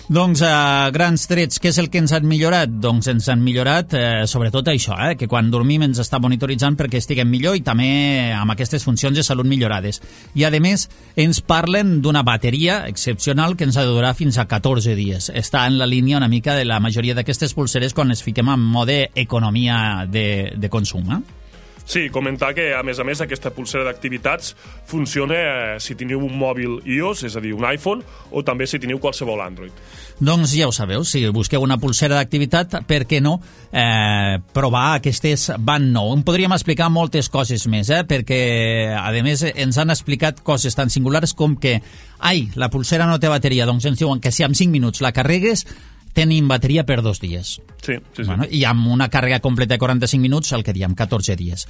Doncs, a grans trets, què és el que ens han millorat? Doncs ens han millorat sobretot això, que quan dormim ens està monitoritzant perquè estiguem millor i també amb aquestes funcions de salut millorades. I, a més, ens parlen d'una bateria excepcional que ens ha de durar fins a 14 dies. Està en la línia una mica de la majoria d'aquestes pulseres quan les fiquem en mode economia de consum, Sí, comentar que, a més, aquesta pulsera d'activitats funciona si teniu un mòbil iOS, és a dir, un iPhone, o també si teniu qualsevol Android. Doncs ja ho sabeu, si busqueu una pulsera d'activitat, per què no provar aquestes Band 9? En podríem explicar moltes coses més, perquè, a més, ens han explicat coses tan singulars com que, la pulsera no té bateria, doncs ens diuen que si en 5 minuts la carregues, tenim bateria per 2 dies. Sí. Bueno, i amb una càrrega completa de 45 minuts, el que diem, 14 dies.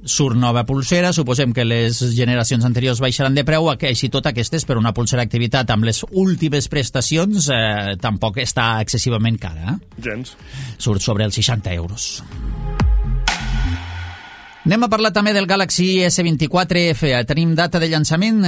Surt nova pulsera, suposem que les generacions anteriors baixaran de preu, així tot aquestes, per una pulsera d'activitat amb les últimes prestacions, tampoc està excessivament cara. Gens. Surt sobre els 60 euros. Anem a parlar també del Galaxy S24F. Tenim data de llançament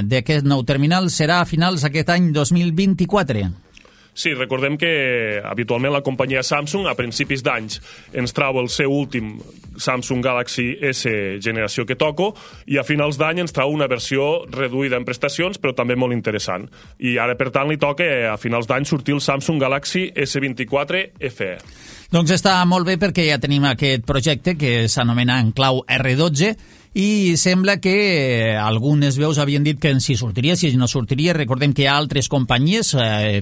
d'aquest nou terminal, serà a finals d'aquest any 2024. Sí, recordem que habitualment la companyia Samsung a principis d'anys ens trau el seu últim Samsung Galaxy S generació que toco i a finals d'any ens trau una versió reduïda en prestacions però també molt interessant. I ara, per tant, li toca a finals d'any sortir el Samsung Galaxy S24 FE. Doncs està molt bé perquè ja tenim aquest projecte que s'anomena en clau R12 i sembla que algunes veus havien dit que si sortiria, si no sortiria. Recordem que hi ha altres companyies,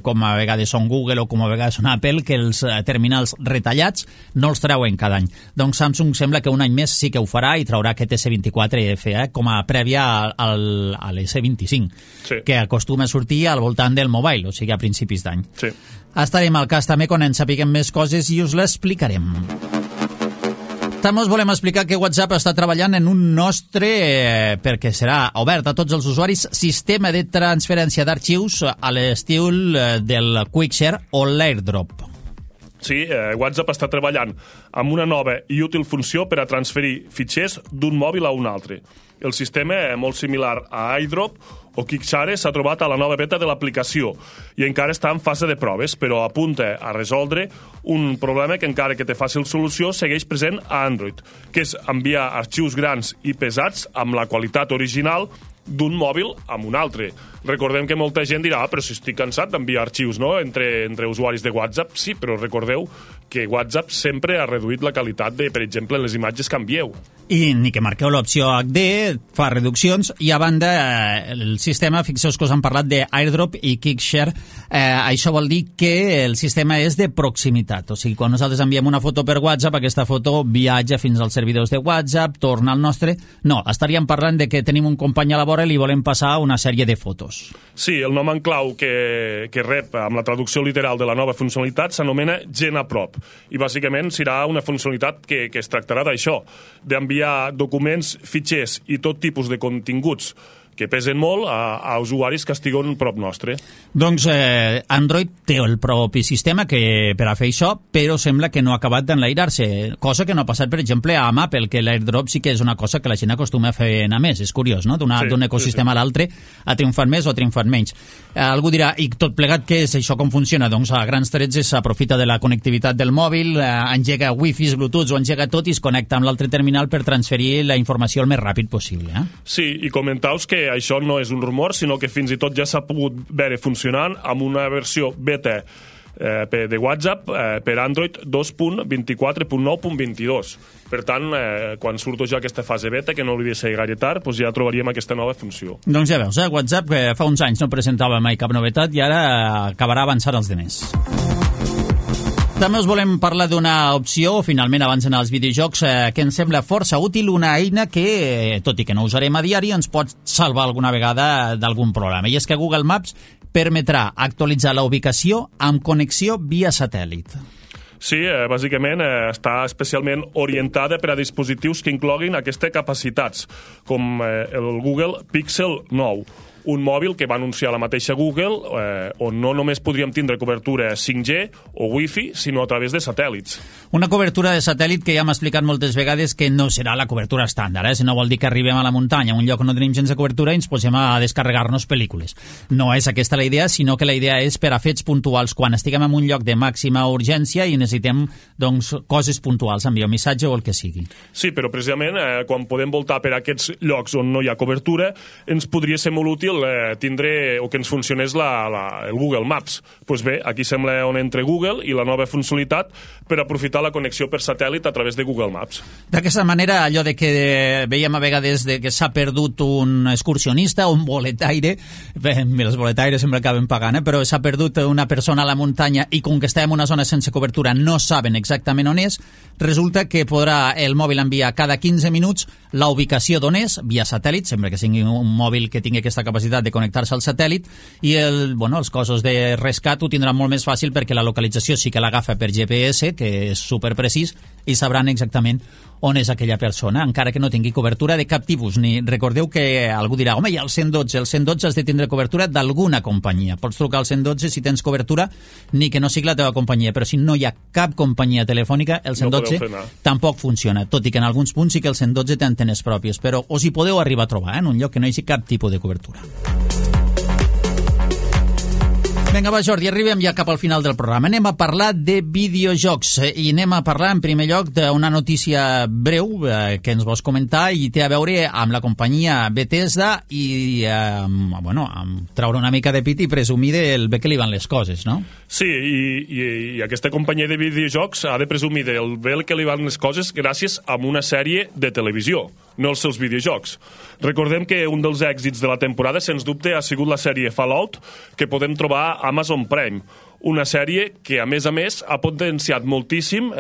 com a vegades són Google o com a vegades són Apple, que els terminals retallats no els treuen cada any. Doncs Samsung sembla que un any més sí que ho farà i traurà aquest S24 FE com a prèvia a l'S25, sí, que acostuma a sortir al voltant del mobile, o sigui a principis d'any. Sí. Estarem al cas també quan en sapiguem més coses i us l'explicarem. També us volem explicar que WhatsApp està treballant en un nostre, perquè serà obert a tots els usuaris, sistema de transferència d'arxius a l'estil del QuickShare o l'AirDrop. Sí, WhatsApp està treballant amb una nova i útil funció per a transferir fitxers d'un mòbil a un altre. El sistema, molt similar a iDrop o QuickShare, s'ha trobat a la nova beta de l'aplicació i encara està en fase de proves, però apunta a resoldre un problema que encara que té fàcil solució segueix present a Android, que és enviar arxius grans i pesats amb la qualitat original d'un mòbil amb un altre. Recordem que molta gent dirà, però si estic cansat d'enviar arxius, no?, entre usuaris de WhatsApp. Sí, però recordeu que WhatsApp sempre ha reduït la qualitat de, per exemple, les imatges que envieu. I ni que marqueu l'opció HD, fa reduccions, i a banda el sistema, fixeu-vos que us han parlat d'AirDrop i QuickShare, això vol dir que el sistema és de proximitat, o sigui, quan nosaltres enviem una foto per WhatsApp, aquesta foto viatja fins als servidors de WhatsApp, torna al nostre. No, estaríem parlant de que tenim un company a la vora i li volem passar una sèrie de fotos. Sí, el nom en clau que rep amb la traducció literal de la nova funcionalitat s'anomena Gen Aprop i bàsicament serà una funcionalitat que es tractarà d'això, d'enviar documents, fitxers i tot tipus de continguts que pesen molt a usuaris que estiguen prop nostre. Doncs Android té el propi sistema per a fer això, però sembla que no ha acabat d'enlairar-se, cosa que no ha passat, per exemple, amb Apple, que l'AirDrop sí que és una cosa que la gent acostuma a fer anar més. És curiós, no?, d'un ecosistema a l'altre ha triomfat més o ha triomfat menys. Algú dirà, i tot plegat, què és això, com funciona? Doncs a grans trets s'aprofita de la connectivitat del mòbil, engega Wi-Fi, Bluetooth, o engega tot i es connecta amb l'altre terminal per transferir la informació el més ràpid possible. Sí, i comentaus que això no és un rumor, sinó que fins i tot ja s'ha pogut veure funcionant amb una versió beta de WhatsApp per Android 2.24.9.22. Per tant, quan surto ja aquesta fase beta, que no hauria de ser gaire tard, doncs ja trobaríem aquesta nova funció. Doncs ja veus, WhatsApp que fa uns anys no presentava mai cap novetat i ara acabarà avançant els demés. També us volem parlar d'una opció, finalment, abans d'anar als videojocs, que ens sembla força útil, una eina que, tot i que no usarem a diari, ens pot salvar alguna vegada d'algun problema. I és que Google Maps permetrà actualitzar la ubicació amb connexió via satèl·lit. Sí, bàsicament està especialment orientada per a dispositius que incloguin aquestes capacitats, com el Google Pixel 9, un mòbil que va anunciar la mateixa Google, on no només podríem tindre cobertura 5G o Wi-Fi, sinó a través de satèl·lits. Una cobertura de satèl·lit que ja hem explicat moltes vegades que no serà la cobertura estàndard, si no vol dir que arribem a la muntanya, a un lloc on no tenim gens de cobertura i ens posem a descarregar-nos pel·lícules. No és aquesta la idea, sinó que la idea és per a fets puntuals, quan estiguem en un lloc de màxima urgència i necessitem doncs, coses puntuals, enviar un missatge o el que sigui. Sí, però precisament quan podem voltar per aquests llocs on no hi ha cobertura, ens podria ser molt útil tindre o que ens funcionés el Google Maps. Doncs bé, aquí sembla on entra Google i la nova funcionalitat per aprofitar la connexió per satèl·lit a través de Google Maps. D'aquesta manera, allò de que veiem a vegades que s'ha perdut un excursionista o un boletaire, els boletaires sempre acaben pagant, però s'ha perdut una persona a la muntanya i com que està en una zona sense cobertura no saben exactament on és, resulta que podrà el mòbil enviar cada 15 minuts la ubicació d'on és, via satèl·lit, sempre que sigui un mòbil que tingui aquesta capacitat de connectar-se al satèl·lit, i els cossos de rescat ho tindran molt més fàcil perquè la localització sí que l'agafa per GPS, que és superprecís, i sabran exactament on és aquella persona, encara que no tingui cobertura de cap tipus. Recordeu que algú dirà, home, hi ha el 112, el 112 has de tindre cobertura d'alguna companyia. Pots trucar al 112 si tens cobertura, ni que no sigui la teva companyia, però si no hi ha cap companyia telefònica, el 112 tampoc funciona, tot i que en alguns punts sí que el 112 té antenes pròpies, però us hi podeu arribar a trobar, en un lloc que no hi hagi cap tipus de cobertura. Vinga, va, Jordi, arribem ja cap al final del programa. Anem a parlar de videojocs i anem a parlar en primer lloc d'una notícia breu que ens vols comentar i té a veure amb la companyia Bethesda i amb treure una mica de pit i presumir del bé que li van les coses, no? Sí, i aquesta companyia de videojocs ha de presumir del bé que li van les coses gràcies a una sèrie de televisió, no els seus videojocs. Recordem que un dels èxits de la temporada, sens dubte, ha sigut la sèrie Fallout, que podem trobar a Amazon Prime. Una sèrie que, a més, ha potenciat moltíssim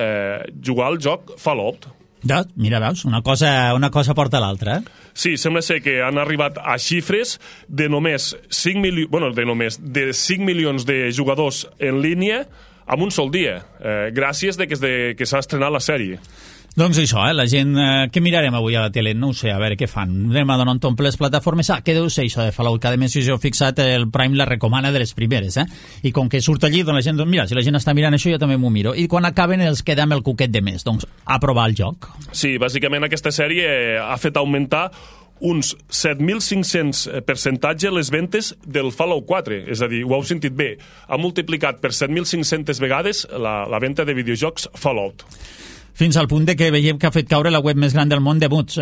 jugar al joc Fallout. Ja, mira, veus, una cosa porta l'altra, Sí, sembla ser que han arribat a xifres de només 5 milions de jugadors en línia en un sol dia, gràcies que s'ha estrenat la sèrie. Doncs això, la gent... Què mirarem avui a la tele? No ho sé, a veure què fan. Anem a donar un tomb les plataformes. Què deu ser això de Fallout? Cada mes, si jo he fixat, el Prime la recomana de les primeres, I com que surt allí, doncs la gent... Mira, si la gent està mirant això, jo també m'ho miro. I quan acaben els queda amb el cuquet de més. Doncs a provar el joc. Sí, bàsicament aquesta sèrie ha fet augmentar uns 7.500 percentatge les ventes del Fallout 4. És a dir, ho heu sentit bé. Ha multiplicat per 7.500 vegades la venda de videojocs Fallout. Fins al punt de que veiem que ha fet caure la web més gran del món de mods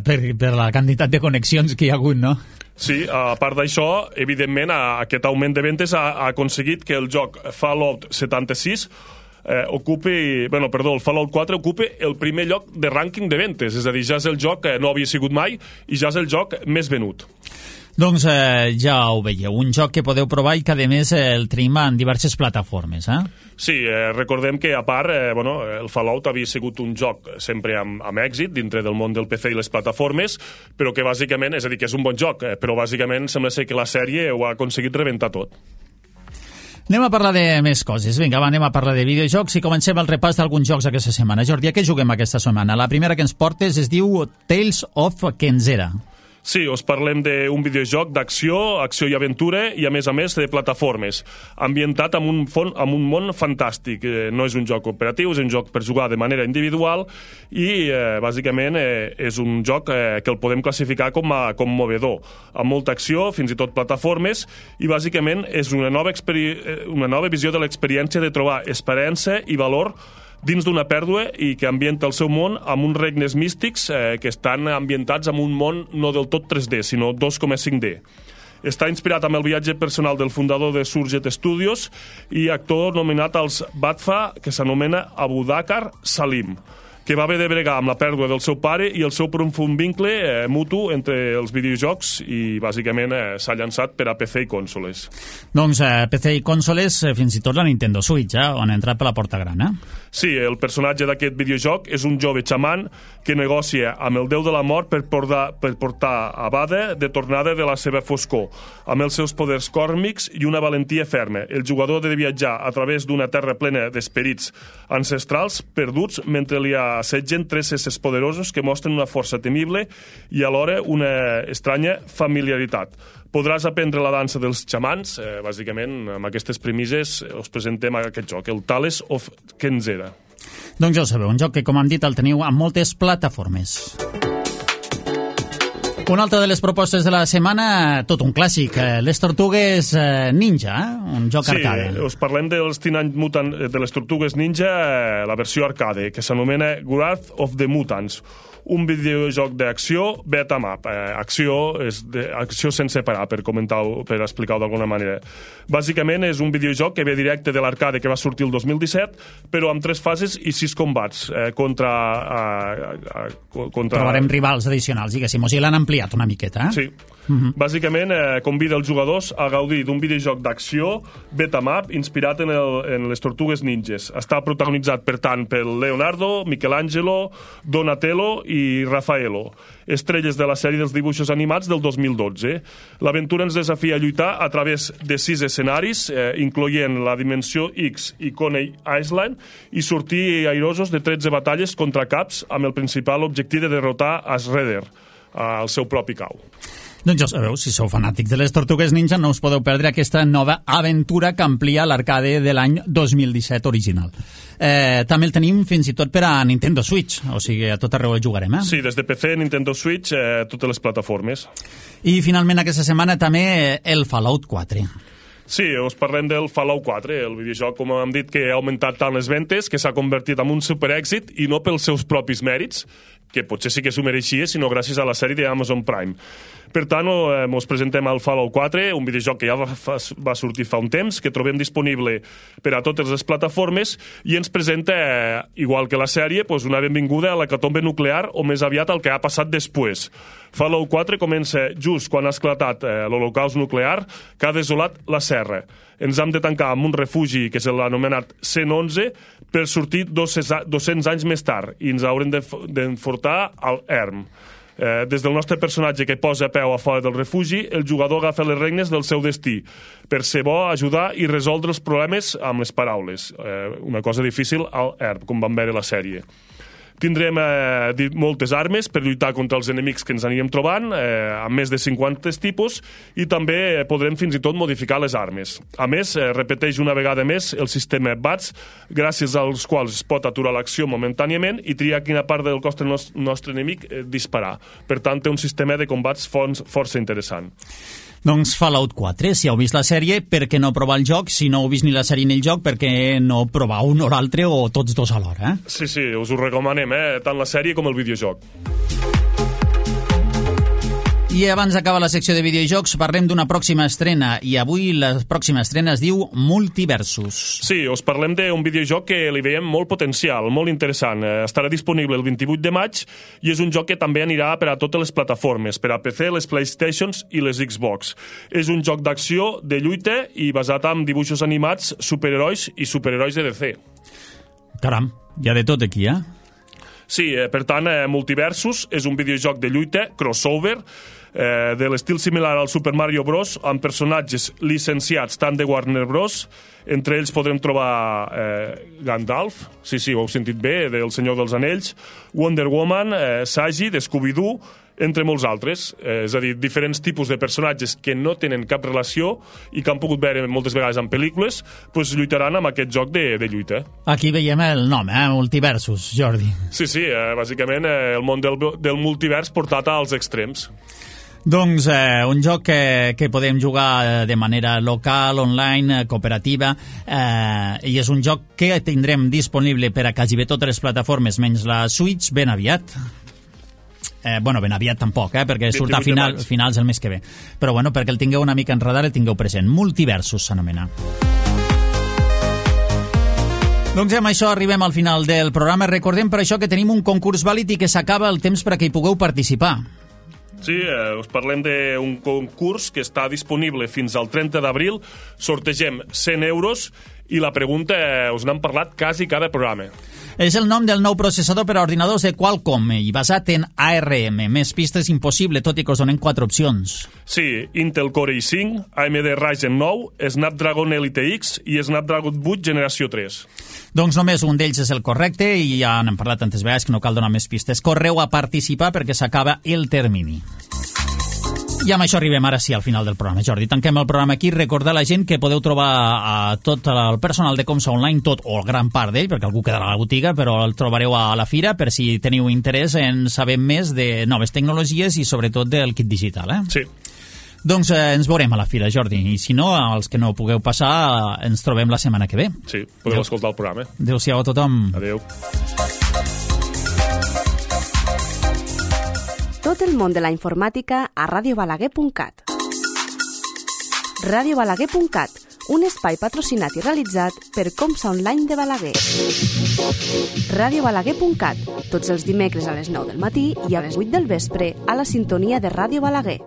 per la quantitat de connexions que hi ha hagut, no? Sí, a part d'això, evidentment, aquest augment de ventes ha aconseguit que el joc Fallout 76 el Fallout 4 ocupa el primer lloc de rànquing de ventes, és a dir, ja és el joc que no havia sigut mai i ja és el joc més venut. Doncs ja ho veieu, un joc que podeu provar i que a més el tenim en diverses plataformes, Sí, recordem que a part, el Fallout havia sigut un joc sempre amb èxit dintre del món del PC i les plataformes, però que bàsicament, és a dir, que és un bon joc, però bàsicament sembla ser que la sèrie ho ha aconseguit rebentar tot. Anem a parlar de més coses. Vinga, anem a parlar de videojocs i comencem el repàs d'alguns jocs aquesta setmana. Jordi, a què juguem aquesta setmana? La primera que ens portes es diu Tales of Kenzera. Sí, us parlem d'un videojoc d'acció, acció i aventura i, a més, de plataformes, ambientat en un món fantàstic. No és un joc cooperatiu, és un joc per jugar de manera individual i, bàsicament, és un joc que el podem classificar com movedor, amb molta acció, fins i tot plataformes, i, bàsicament, és una nova visió de l'experiència de trobar esperança i valor dins d'una pèrdua i que ambienta el seu món amb uns regnes místics que estan ambientats en un món no del tot 3D, sinó 2,5D. Està inspirat amb el viatge personal del fundador de Surget Studios i actor nominat als BAFTA, que s'anomena Abubakar Salim, que va haver de bregar amb la pèrdua del seu pare i el seu profund vincle mutu entre els videojocs i, bàsicament, s'ha llançat per a PC i consoles. Doncs PC i consoles, fins i tot la Nintendo Switch, on ha entrat per la porta gran, Sí, el personatge d'aquest videojoc és un jove xaman que negocia amb el déu de la mort per portar a Bada de tornada de la seva foscor, amb els seus poders còsmics i una valentia ferma. El jugador ha de viatjar a través d'una terra plena d'esperits ancestrals perduts mentre li ha assetgen 3 éssers poderosos que mostren una força temible i alhora una estranya familiaritat. Podràs aprendre la dansa dels xamans, bàsicament amb aquestes premisses us presentem aquest joc, el Tales of Kenzera. Doncs ja ho sabeu, un joc que, com hem dit, el teniu a moltes plataformes. Una altra de les propostes de la setmana, tot un clàssic, les Tortugues Ninja, un joc arcade. Sí, us parlem dels Teenage Mutant, de les Tortugues Ninja, la versió arcade, que s'anomena Wrath of the Mutants, un videojoc d'acció beat'em up. Acció sense parar, per explicar-ho d'alguna manera. Bàsicament és un videojoc que ve directe de l'arcade que va sortir el 2017, però amb 3 fases i 6 combats contra... Trobarem rivals addicionals, diguéssim. O sigui, l'han ampliat una miqueta, eh? Sí. Bàsicament convida els jugadors a gaudir d'un videojoc d'acció beat'em up inspirat en les Tortugues Ninjas. Està protagonitzat, per tant, per Leonardo, Michelangelo, Donatello i Raffaello, estrelles de la sèrie dels dibuixos animats del 2012. L'aventura ens desafia a lluitar a través de 6 escenaris, incloent la Dimensió X i Coney Island, i sortir airosos de 13 batalles contra caps amb el principal objectiu de derrotar a Shredder, al seu propi cau. Doncs ja sabeu, si sou fanàtics de les Tortugues Ninja, no us podeu perdre aquesta nova aventura que amplia l'arcade de l'any 2017 original. També el tenim fins i tot per a Nintendo Switch, o sigui, a tot arreu el jugarem, eh? Sí, des de PC, Nintendo Switch, totes les plataformes. I finalment aquesta setmana també el Fallout 4. Sí, us parlem del Fallout 4, el videojoc, com hem dit, que ha augmentat tant les ventes, que s'ha convertit en un superèxit, i no pels seus propis mèrits, que potser sí que s'ho mereixia, sinó gràcies a la sèrie d'Amazon Prime. Per tant, us presentem el Fallout 4, un videojoc que ja va sortir fa un temps, que trobem disponible per a totes les plataformes, i ens presenta, igual que la sèrie, una benvinguda a l'hecatombe nuclear, o més aviat al que ha passat després. Fallout 4 comença just quan ha esclatat l'holocaust nuclear que ha desolat la Serra. Ens hem de tancar en un refugi que és l'anomenat 111 per sortir 200 anys més tard i ens haurem d'enfortar al ERM. Des del nostre personatge que posa peu a fora del refugi, el jugador agafa les regnes del seu destí per ser bo, ajudar i resoldre els problemes amb les paraules. Una cosa difícil al ERM, com vam veure la sèrie. Tindrem moltes armes per lluitar contra els enemics que ens anirem trobant, amb més de 50 tipus, i també podrem fins i tot modificar les armes. A més, repeteix una vegada més el sistema BATS, gràcies als quals es pot aturar l'acció momentàniament i triar quina part del cos del nostre enemic disparar. Per tant, té un sistema de combats força interessant. Doncs Fallout 4, si heu vist la sèrie, per què no provar el joc? Si no heu vist ni la sèrie ni el joc, per què no provar un o l'altre o tots dos alhora? Sí, us ho recomanem, tant la sèrie com el videojoc. I abans d'acabar la secció de videojocs parlem d'una pròxima estrena, i avui la pròxima estrena es diu Multiversus. Sí, us parlem d'un videojoc que li veiem molt potencial, molt interessant. Estarà disponible el 28 de maig i és un joc que també anirà per a totes les plataformes, per a PC, les PlayStations i les Xbox. És un joc d'acció, de lluita i basat en dibuixos animats, superherois i superherois de DC. Caram, hi ha de tot aquí, eh? Sí, per tant, Multiversus és un videojoc de lluita, crossover, de l'estil similar al Super Mario Bros, amb personatges licenciats tant de Warner Bros. Entre ells podrem trobar Gandalf, sí, ho heu sentit bé, del Senyor dels Anells, Wonder Woman, Sagi, de Scooby-Doo, entre molts altres. És a dir, diferents tipus de personatges que no tenen cap relació i que han pogut veure moltes vegades en pel·lícules, lluitaran amb aquest joc de lluita. Aquí veiem el nom, Multiversus, Jordi. Sí, bàsicament el món del multivers portat als extrems. Doncs un joc que podem jugar de manera local, online, cooperativa, i és un joc que tindrem disponible per a quasi bé totes les plataformes, menys la Switch, ben aviat. Ben aviat tampoc, perquè surt a finals del mes que ve. Però perquè el tingueu una mica en radar, el tingueu present. Multiversus s'anomena. Doncs amb això arribem al final del programa. Recordem per això que tenim un concurs vàlid i que s'acaba el temps perquè hi pugueu participar. Sí, us parlem d'un concurs que està disponible fins al 30 d'abril. Sortegem 100 euros i la pregunta us n'hem parlat quasi cada programa. És el nom del nou processador per a ordinadors de Qualcomm i basat en ARM. Més pistes impossible, tot i que us donen 4 opcions. Sí, Intel Core i5, AMD Ryzen 9, Snapdragon Elite X i Snapdragon 8 generació 3. Doncs només un d'ells és el correcte i ja n'hem parlat tantes vegades que no cal donar més pistes. Correu a participar perquè s'acaba el termini. I amb això arribem ara sí al final del programa. Jordi, tanquem el programa aquí. Recordar a la gent que podeu trobar a tot el personal de Comsa Online, tot o gran part d'ell, perquè algú quedarà a la botiga, però el trobareu a la fira per si teniu interès en saber més de noves tecnologies i sobretot del kit digital. Sí. Doncs ens veurem a la fira, Jordi. I si no, els que no pugueu passar, ens trobem la setmana que ve. Sí, podeu escoltar el programa. Adéu-siau a tothom. Adéu. Tot el món de la informàtica a radiobalaguer.cat. Radiobalaguer.cat, un espai patrocinat i realitzat per Comsa Online de Balaguer. Radiobalaguer.cat, tots els dimecres a les 9 del matí i a les 8 del vespre a la sintonia de Ràdio Balaguer.